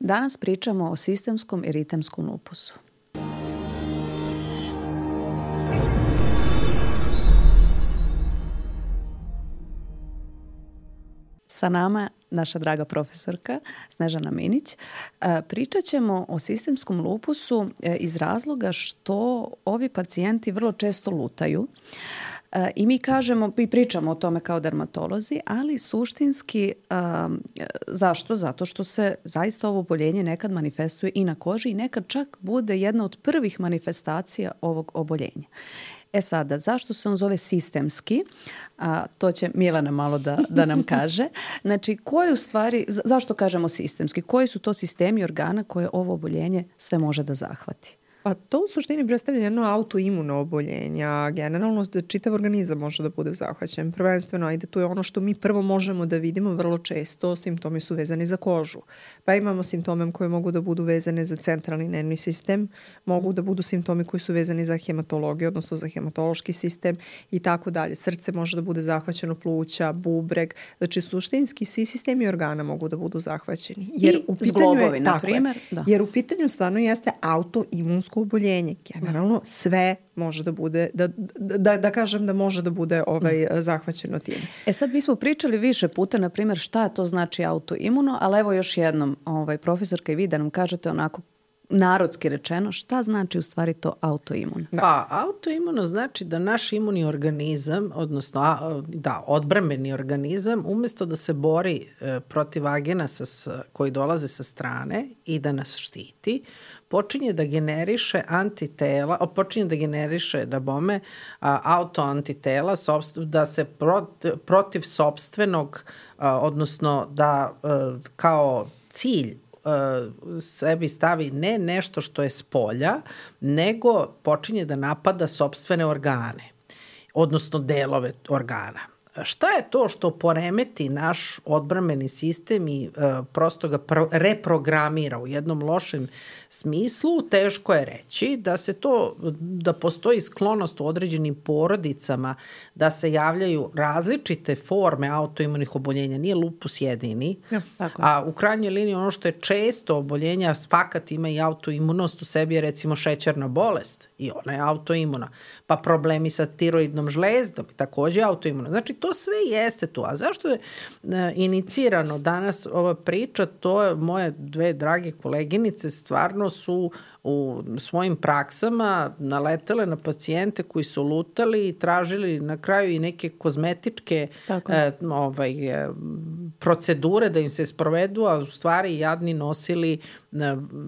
Danas pričamo o sistemskom eritemskom lupusu. Sa nama naša draga profesorka Snežana Minić. Pričat ćemo o sistemskom lupusu iz razloga što ovi pacijenti vrlo često lutaju. I mi pričamo o tome kao dermatolozi, ali suštinski zašto? Zato što se zaista ovo oboljenje nekad manifestuje i na koži i nekad čak bude jedna od prvih manifestacija ovog oboljenja. Sada, zašto se on zove sistemski? To će Milana malo da nam kaže. Znači, zašto kažemo sistemski? Koji su to sistemi organa koje ovo oboljenje sve može da zahvati? Pa to u suštini predstavlja jedno autoimuno oboljenje, a generalno čitav organizam može da bude zahvaćen. Prvenstveno, to je ono što mi prvo možemo da vidimo vrlo često, simptomi su vezani za kožu. Pa imamo simptome koje mogu da budu vezane za centralni nervni sistem, mogu da budu simptomi koji su vezani za hematologiju, odnosno za hematološki sistem i tako dalje. Srce može da bude zahvaćeno, pluća, bubreg. Znači, suštinski svi sistemi organa mogu da budu zahvaćeni. Zglobovi, na primjer. Jer u pitanju stvarno jeste autoimunsko oboljenje. Generalno sve može da bude, da kažem da može da bude zahvaćeno tim. Sad mi smo pričali više puta, na primjer, šta to znači autoimuno, ali evo još jednom, profesorka i vi da nam kažete onako narodski rečeno, šta znači u stvari to autoimun? Pa, autoimuno znači da naš imunni organizam, odnosno odbrambeni organizam, umjesto da se bori protiv agenasa koji dolaze sa strane i da nas štiti, počinje da generiše antitela, počinje da generiše autoantitela, da se protiv sopstvenog, odnosno da kao cilj sebi stavi ne nešto što je s polja, nego počinje da napada sopstvene organe, odnosno delove organa. Šta je to što poremeti naš odbrambeni sistem i prosto ga reprogramira u jednom lošem smislu? Teško je reći da postoji sklonost u određenim porodicama da se javljaju različite forme autoimunih oboljenja. Nije lupus jedini, a u krajnjoj liniji ono što je često oboljenja, fakat ima i autoimunost u sebi je recimo šećerna bolest i ona je autoimuna. Pa problemi sa tiroidnom žlezdom također je autoimuna. Znači to sve jeste tu. A zašto je inicirano danas ova priča? To je moje dve drage koleginice stvarno su u svojim praksama naletele na pacijente koji su lutali i tražili na kraju i neke kozmetičke procedure da im se sprovedu, a u stvari jadni nosili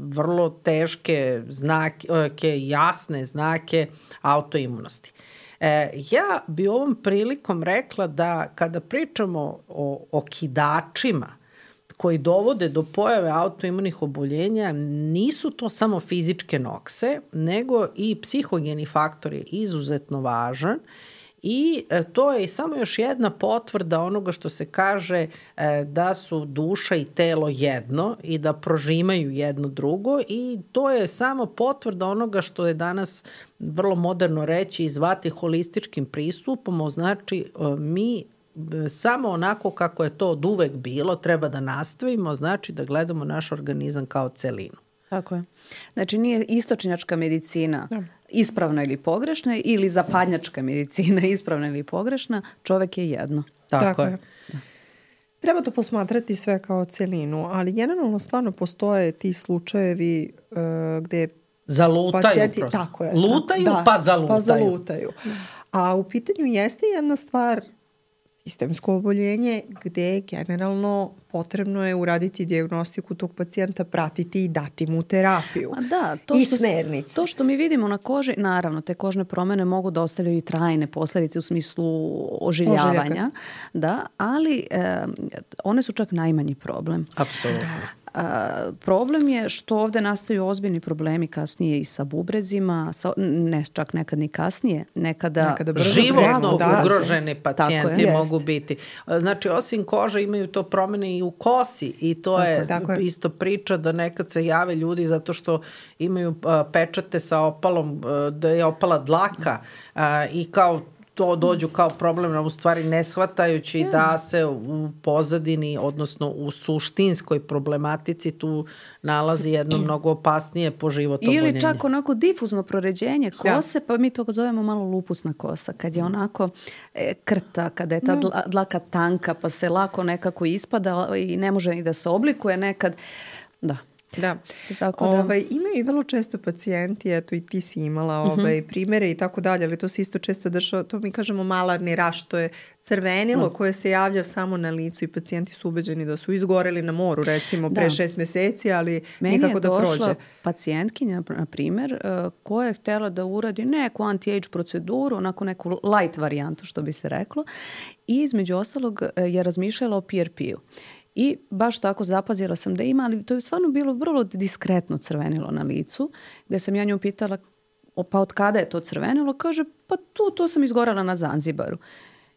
vrlo teške znake, jasne znake autoimunosti. Ja bi ovom prilikom rekla da kada pričamo o okidačima koji dovode do pojave autoimunih oboljenja, nisu to samo fizičke nokse, nego i psihogeni faktor je izuzetno važan i to je samo još jedna potvrda onoga što se kaže da su duša i telo jedno i da prožimaju jedno drugo i to je samo potvrda onoga što je danas vrlo moderno reći i zvati holističkim pristupom, znači mi samo onako kako je to od uvek bilo, treba da nastavimo, znači da gledamo naš organizam kao celinu. Tako je. Znači nije istočnjačka medicina ispravna ili pogrešna ili zapadnjačka medicina ispravna ili pogrešna, čovek je jedno. Tako je. Da. Treba to posmatrati sve kao celinu, ali generalno stvarno postoje ti slučajevi gde zalutaju pacijenti, prosto. Tako je. Lutaju pa zalutaju. A u pitanju jeste jedna stvar sistemsko oboljenje gde generalno potrebno je uraditi dijagnostiku tog pacijenta, pratiti i dati mu terapiju i smernice. To što mi vidimo na koži, naravno, te kožne promjene mogu da ostavljaju i trajne posljedice u smislu ožiljavanja, ali one su čak najmanji problem. Apsolutno. Problem je što ovdje nastaju ozbiljni problemi kasnije i sa bubrezima, ne čak nekad ni kasnije, nekada životno ugroženi pacijenti mogu biti. Znači, osim kože imaju to promjene i u kosi i to je isto priča da nekad se jave ljudi zato što imaju pečate sa opalom, da je opala dlaka i kao to dođu kao problem, u stvari ne shvatajući da se u pozadini, odnosno u suštinskoj problematici tu nalazi jedno mnogo opasnije po život oboljenje. Ili čak onako difuzno proređenje kose, pa mi to zovemo malo lupusna kosa, kad je onako krta, kada je ta dlaka tanka, pa se lako nekako ispada i ne može ni da se oblikuje nekad. Da. Da. Tako da. Imaju i vrlo često pacijenti, eto i ti si imala primere i tako dalje, ali to se isto često dešava, to mi kažemo malarni raš, to je crvenilo koje se javlja samo na licu i pacijenti su ubeđeni da su izgoreli na moru, recimo pre 6 meseci, ali nikako da prođe. Meni je došla pacijentkinja, na primjer, koja je htjela da uradi neku anti-age proceduru, onako neku light varijantu, što bi se reklo, i između ostalog je razmišljala o PRP-u. I baš tako zapazila sam da ima, ali to je stvarno bilo vrlo diskretno crvenilo na licu, gde sam ja nju pitala, pa od kada je to crvenilo? Kaže, pa to sam izgorala na Zanzibaru.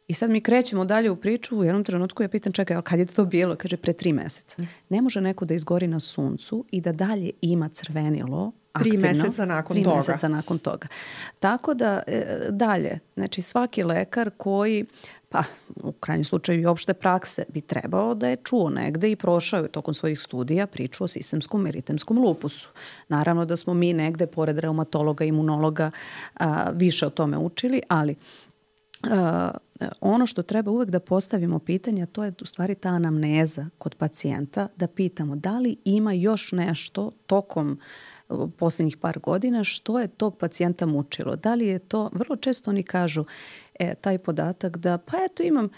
I sad mi krećemo dalje u priču, u jednom trenutku ja pitam, čekaj, ali kad je to bilo? Kaže, pre 3 meseca. Ne može neko da izgori na suncu i da dalje ima crvenilo aktivno. 3 meseca nakon 3 toga. meseca nakon toga. Tako da dalje, znači svaki lekar koji, pa u krajnjem slučaju i opšte prakse, bi trebao da je čuo negde i prošao je tokom svojih studija priču o sistemskom eritemskom lupusu. Naravno da smo mi negde, pored reumatologa, imunologa, više o tome učili, ali ono što treba uvek da postavimo pitanje, to je u stvari ta anamneza kod pacijenta, da pitamo da li ima još nešto tokom posljednjih par godina što je tog pacijenta mučilo. Da li je to, vrlo često oni kažu taj podatak da pa eto imam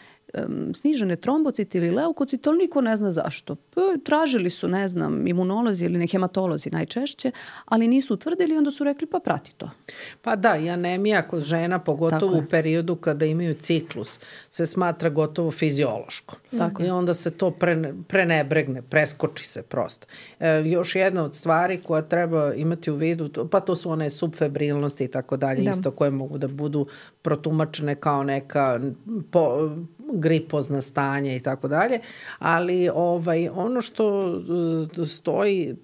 snižene trombocite ili leukocite, ali niko ne zna zašto. Tražili su, ne znam, imunolozi ili hematolozi najčešće, ali nisu utvrdili i onda su rekli pa prati to. Pa da, i anemija kod žena, pogotovo u periodu kada imaju ciklus, se smatra gotovo fiziološko. I onda se to prenebregne, preskoči se prosto. Još jedna od stvari koja treba imati u vidu, pa to su one subfebrilnosti i tako dalje, isto koje mogu da budu protumačene kao neka gripozna stanja i tako dalje, ali ono što stoji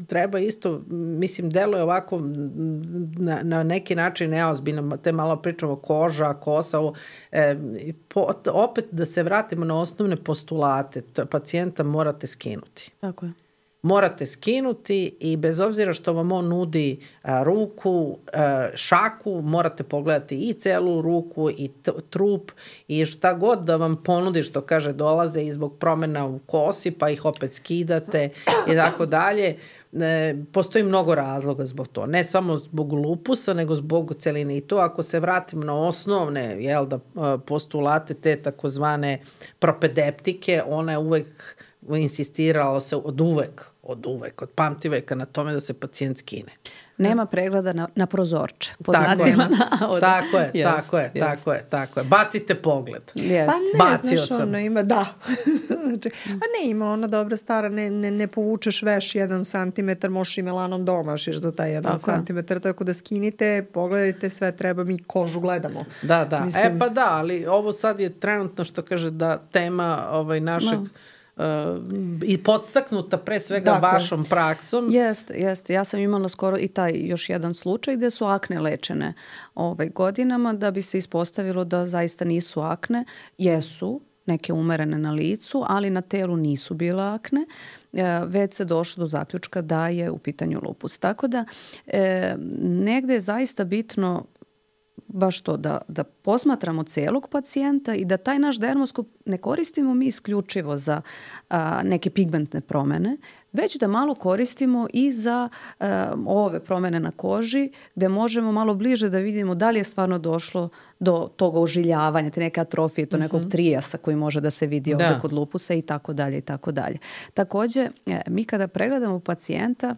treba isto, mislim, deluje ovako na neki način neozbiljno, te malo pričamo koža, kosa, opet da se vratimo na osnovne postulate, pacijenta morate skinuti. Tako je. Morate skinuti i bez obzira što vam on nudi ruku, šaku, morate pogledati i celu ruku i trup i šta god da vam ponudi, što kaže, dolaze i zbog promjena u kosi, pa ih opet skidate i tako dalje. Postoji mnogo razloga zbog to. Ne samo zbog lupusa, nego zbog celine. I to ako se vratimo na osnovne postulate, te takozvane propedeptike, ona je uvek insistiralo se od pamtiveka na tome da se pacijent skine. Nema pregleda na prozorče. Po znacima navoda. Tako je. Bacite pogled. Pa ne, znaš, ono ima, da. Znači, pa ne ima ona dobra stara, ne povučeš veš 1 santimetar, možeš i melanom domašiš za taj 1 santimetar, tako da skinite, pogledajte sve, treba, mi kožu gledamo. Da. Mislim, pa da, ali ovo sad je trenutno, što kaže, da tema našeg i podstaknuta pre svega vašom praksom. Jeste. Ja sam imala skoro i taj još jedan slučaj gde su akne lečene godinama, da bi se ispostavilo da zaista nisu akne. Jesu neke umerene na licu, ali na telu nisu bile akne. Već se došlo do zaključka da je u pitanju lupus. Tako da negde je zaista bitno baš to da posmatramo celog pacijenta i da taj naš dermoskop ne koristimo mi isključivo za neke pigmentne promene, već da malo koristimo i za ove promene na koži, gde možemo malo bliže da vidimo da li je stvarno došlo do toga ožiljavanja, te neke atrofije, to nekog trijasa koji može da se vidi ovdje kod lupusa i tako dalje i tako dalje. Također, mi kada pregledamo pacijenta,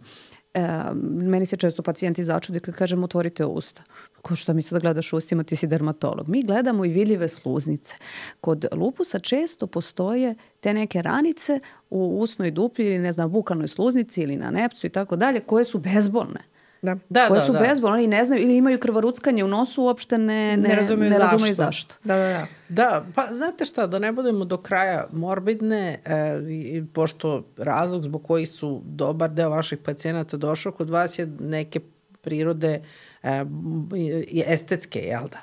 meni se često pacijenti začude kad kažem otvorite usta. Ko što mi sad gledaš ustima, ti si dermatolog. Mi gledamo i vidljive sluznice. Kod lupusa često postoje te neke ranice u usnoj duplji ili ne znam, bukalnoj sluznici ili na nepcu i tako dalje, koje su bezbolne. Koje su bezbolne, oni ne znaju ili imaju krvoruckanje u nosu, uopšte ne razumeju zašto. Da, pa znate šta, da ne budemo do kraja morbidne, pošto razlog zbog koji su dobar deo vaših pacijenata došao kod vas je neke prirode estetske, jel da?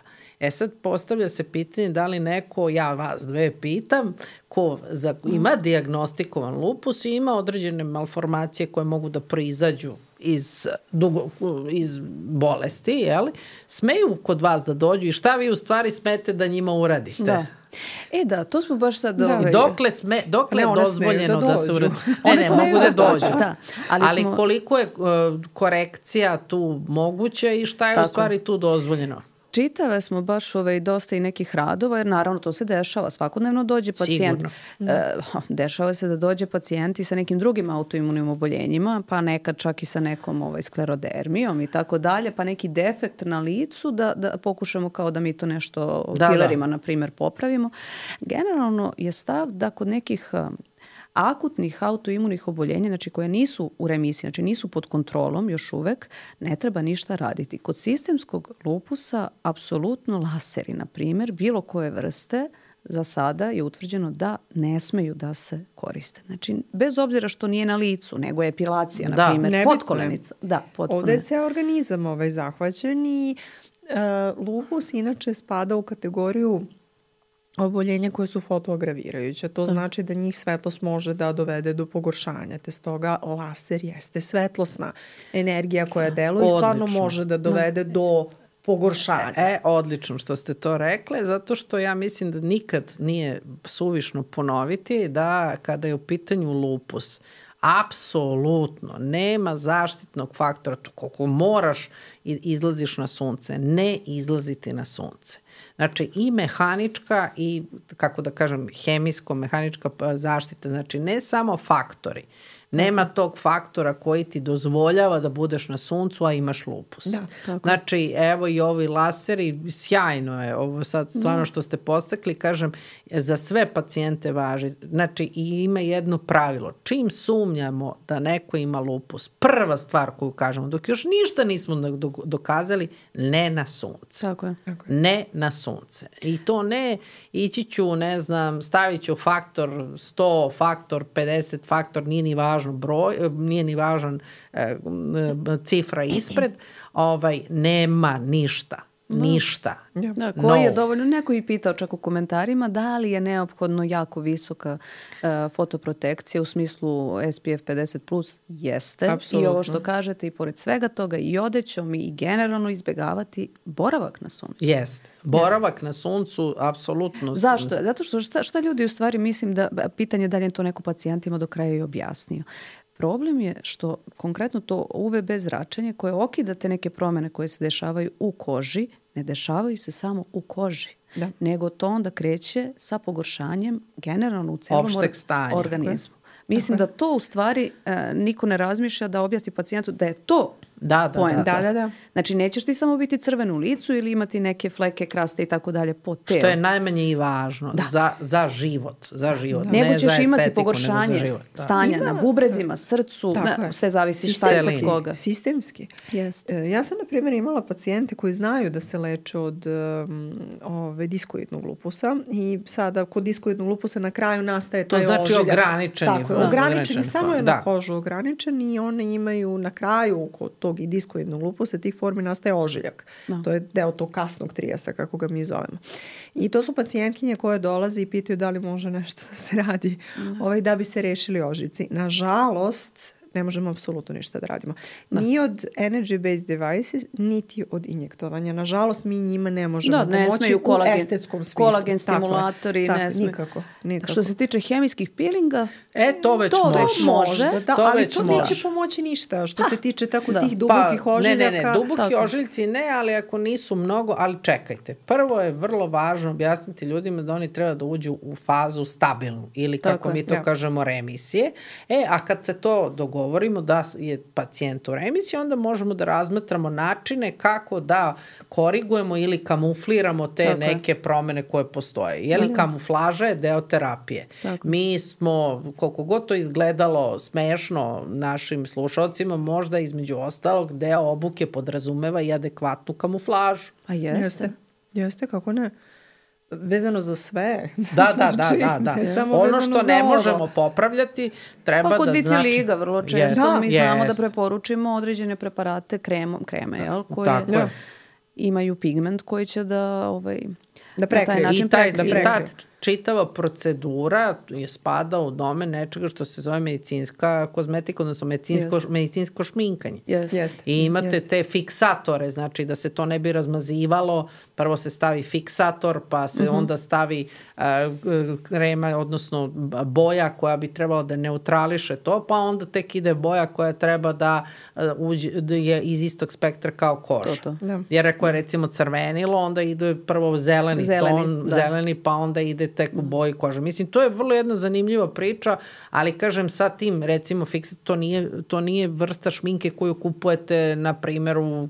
Sad postavlja se pitanje da li neko, ja vas dve pitam, ko ima dijagnostikovan lupus i ima određene malformacije koje mogu da proizađu iz bolesti, jeli? Smeju kod vas da dođu i šta vi u stvari smete da njima uradite? Da. Da, to smo baš sad... Dokle je dozvoljeno da se uradi? Ne mogu da dođu. Da. Ali koliko je korekcija tu moguća i šta je u stvari tu dozvoljeno? Čitale smo baš dosta i nekih radova, jer naravno to se dešava. Svakodnevno dođe pacijent. Dešava se da dođe pacijenti sa nekim drugim autoimunim oboljenjima, pa nekad čak i sa nekom sklerodermijom i tako dalje, pa neki defekt na licu da pokušamo kao da mi to nešto filerima, na primjer, popravimo. Generalno je stav da kod nekih akutnih autoimunih oboljenja, znači koje nisu u remisiji, znači nisu pod kontrolom još uvek, ne treba ništa raditi. Kod sistemskog lupusa apsolutno laseri, na primjer, bilo koje vrste, za sada je utvrđeno da ne smeju da se koriste. Znači, bez obzira što nije na licu, nego je epilacija, na primjer, potkolenica. Ovdje je ceo organizam zahvaćen i lupus inače spada u kategoriju oboljenja koje su fotoagravirajuće. To znači da njih svetlost može da dovede do pogoršanja. Te stoga laser jeste svetlosna energija koja deluje i stvarno može da dovede do pogoršanja. Odlično što ste to rekle, zato što ja mislim da nikad nije suvišno ponoviti da kada je u pitanju lupus, apsolutno nema zaštitnog faktora. Koliko moraš izlaziš na sunce, ne izlaziti na sunce. Znači i mehanička i, kako da kažem, hemijsko-mehanička zaštita, znači ne samo faktori. Nema tog faktora koji ti dozvoljava da budeš na suncu, a imaš lupus. Znači, evo i ovi laseri, sjajno je ovo sad stvarno što ste postakli, kažem, za sve pacijente važi. Znači, i ima jedno pravilo. Čim sumnjamo da neko ima lupus, prva stvar koju kažemo, dok još ništa nismo dokazali, ne na sunce. Tako je. Ne na sunce. I to ne, ići ću, ne znam, stavit ću faktor 100, faktor 50, faktor nije ni važno broj, nije ni važan cifra ispred, nema ništa. Ništa. Koji je dovoljno, neko je pitao čak u komentarima da li je neophodno jako visoka fotoprotekcija u smislu SPF 50+, jeste. Absolutno. I ovo što kažete i pored svega toga i odećom i generalno izbjegavati boravak na suncu. Jeste. Boravak na suncu, apsolutno. Zašto? Zato što šta ljudi u stvari, mislim da pitanje da li je to neko pacijentima do kraja i objasnio. Problem je što konkretno to UVB zračenje koje okida te neke promjene koje se dešavaju u koži, ne dešavaju se samo u koži, nego to onda kreće sa pogoršanjem generalno u celom organizmu. Mislim da to u stvari niko ne razmišlja da objasni pacijentu da je to poenta. Da. Znači, nećeš ti samo biti crven u licu ili imati neke fleke, kraste i tako dalje po telu. Što je najmanje i važno za život. Nego ćeš imati pogoršanje stanja na bubrezima, srcu, sve zavisi šta je kod koga. Sistemski. Ja sam, na primjer, imala pacijente koji znaju da se leče od diskoidnog lupusa i sada kod diskoidnog lupusa na kraju nastaje taj ožiljak. To znači ograničeni. Tako, ograničeni, samo je na kožu ograničen i one imaju na kraju kod tog i diskoidnog lupusa tih formi nastaje ožiljak. To je deo tog kasnog trijasa, kako ga mi zovemo. I to su pacijentkinje koje dolaze i pitaju da li može nešto da se radi da bi se rešili ožiljci. Nažalost, ne možemo apsolutno ništa da radimo. Ni od energy-based devices, niti od injektovanja. Nažalost, mi njima ne možemo pomoći u estetskom smislu. Kolagen stimulatori, ne smiju. Nikako. Što se tiče hemijskih peelinga, to već može. Ali to neće pomoći ništa. Što se tiče tako tih dubokih ožiljaka. Ne, duboki ožiljci ne, ali ako nisu mnogo, ali čekajte. Prvo je vrlo važno objasniti ljudima da oni treba da uđu u fazu stabilnu ili kako mi to kažemo remisije. A kad se to govorimo da je pacijent u remisiji, onda možemo da razmatramo načine kako da korigujemo ili kamufliramo te neke promene koje postoje. Jeli kamuflaža je deo terapije. Mi smo, koliko god to izgledalo smešno našim slušalcima, možda između ostalog deo obuke podrazumeva i adekvatnu kamuflažu. A jeste. Jeste, kako ne? Vezano za sve. Da. Ono što ne možemo popravljati treba da znači... Kod vitiliga vrlo često mi znamo da preporučimo određene preparate kreme, koje imaju pigment koji će da prekrije. način I ta čitava procedura je spada u domen nečega što se zove medicinska kozmetika, odnosno medicinsko šminkanje. I imate te fiksatore, znači da se to ne bi razmazivalo, prvo se stavi fiksator, pa se onda stavi krema, odnosno boja koja bi trebala da neutrališe to, pa onda tek ide boja koja treba da je iz istog spektra kao koža. Jer ako je recimo crvenilo, onda ide prvo zeleni ton, zeleni, pa onda ide tek u boji kože. Mislim, to je vrlo jedna zanimljiva priča, ali kažem sa tim, recimo, to nije vrsta šminke koju kupujete, na primjer, u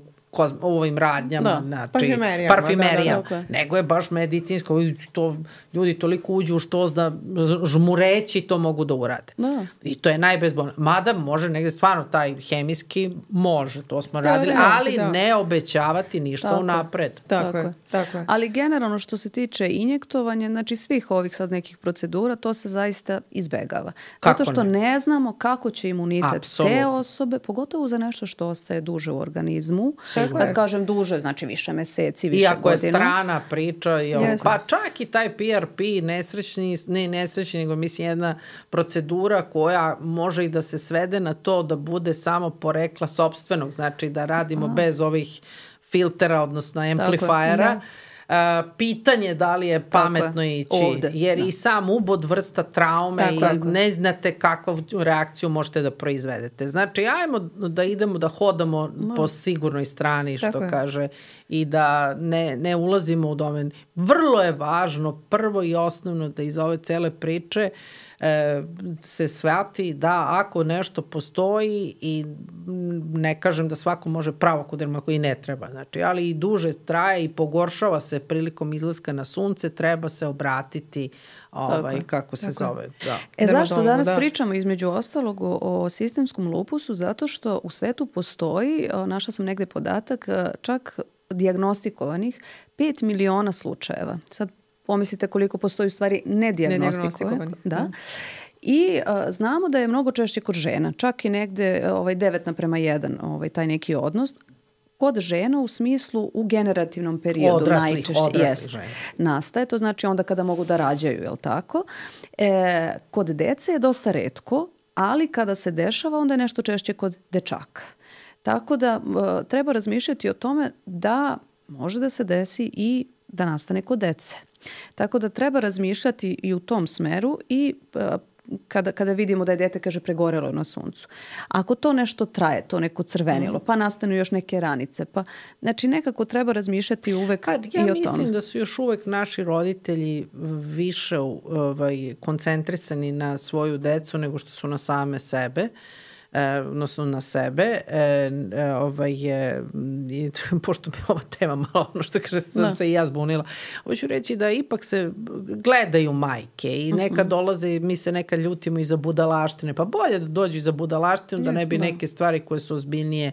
ovim radnjama, znači, parfimerijama, nego je baš medicinsko. Ljudi toliko uđu u štos da žmureći to mogu da urade. I to je najbezbolnije. Mada može negde stvarno taj hemijski, može, to smo radili, ali ne obećavati ništa unapred. Tako je. Ali generalno što se tiče injektovanja, znači svih ovih sad nekih procedura, to se zaista izbegava. Zato što ne znamo kako će imunitet te osobe, pogotovo za nešto što ostaje duže u organizmu. Kad kažem duže, znači više meseci, više godina. Iako je strana priča, pa čak i taj PRP, nesrećni, nego mislim jedna procedura koja može i da se svede na to da bude samo porekla sopstvenog, znači da radimo bez ovih filtera, odnosno amplifajera. Pitanje da li je pametno ići, jer i sam ubod vrsta traume i ne znate kakvu reakciju možete da proizvedete. Znači, ajmo da idemo da hodamo po sigurnoj strani, što kaže, i da ne ulazimo u domen. Vrlo je važno, prvo i osnovno, da iz ove cele priče se shvati da ako nešto postoji, i ne kažem da svako može pravo kod dermatologa, i ne treba, znači, ali i duže traje i pogoršava se prilikom izlaska na sunce, treba se obratiti kako se zove. Zašto danas pričamo između ostalog o sistemskom lupusu? Zato što u svetu postoji, našla sam negde podatak, čak dijagnostikovanih 5 miliona slučajeva. Sad pomislite koliko postoji u stvari nedijagnostikovanih. I znamo da je mnogo češće kod žena, čak i negde 9:1 taj neki odnos. Kod žena u smislu u generativnom periodu najčešće nastaje. To znači onda kada mogu da rađaju, je li tako? Kod dece je dosta retko, ali kada se dešava onda je nešto češće kod dečaka. Tako da treba razmišljati o tome da može da se desi i da nastane kod dece. Tako da treba razmišljati i u tom smeru i kada vidimo da je dete, kaže, pregorelo na suncu. Ako to nešto traje, to neko crvenilo, pa nastanu još neke ranice, pa znači nekako treba razmišljati uvek i o tome. Ja mislim da su još uvek naši roditelji više koncentrisani na svoju decu nego što su na same sebe. Odnosno na sebe, pošto mi je ova tema malo ono što kaže, sam se i ja zbunila, hoću reći da ipak se gledaju majke i nekad dolaze, mi se nekad ljutimo i za budalaštine, pa bolje da dođu i za budalaštinu, da ne bi neke stvari koje su ozbiljnije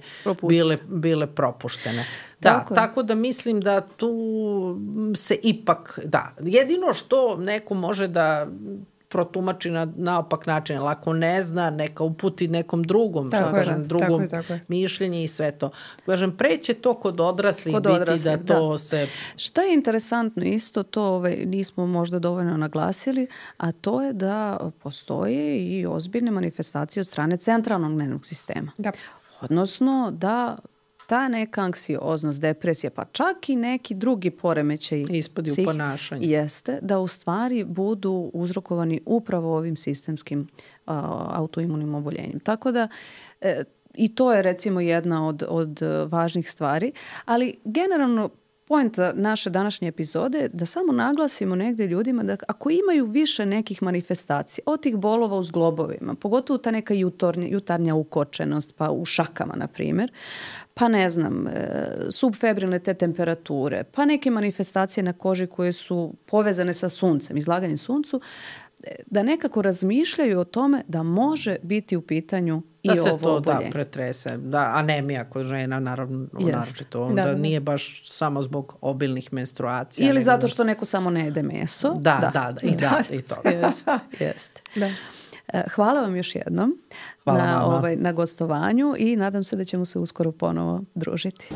bile propuštene. Tako da mislim da tu se ipak, jedino što neko može da protumači na naopak način, ali ako ne zna, neka uputi nekom drugom, drugom mišljenje i sve to. Kažem, preće to kod odraslih biti da to se... Šta je interesantno isto, to nismo možda dovoljno naglasili, a to je da postoje i ozbiljne manifestacije od strane centralnog nervnog sistema. Odnosno da ta neka anksioznost, depresija, pa čak i neki drugi poremećaj ispodi u ponašanju, jeste da u stvari budu uzrokovani upravo ovim sistemskim autoimunim oboljenjem. Tako da i to je recimo jedna od važnih stvari, ali generalno poenta naše današnje epizode je da samo naglasimo negdje ljudima da ako imaju više nekih manifestacija, od tih bolova u zglobovima, pogotovo ta neka jutarnja ukočenost, pa u šakama, na primjer, pa ne znam, subfebrilne te temperature, pa neke manifestacije na koži koje su povezane sa suncem, izlaganjem suncu, da nekako razmišljaju o tome da može biti u pitanju i ovo oboljenje. Da se to pretrese. Anemija kod žena, naravno, naročito. Onda nije baš samo zbog obilnih menstruacija. Ili zato što neko samo ne jede meso. I to. Jeste. Hvala vam još jednom na gostovanju i nadam se da ćemo se uskoro ponovo družiti.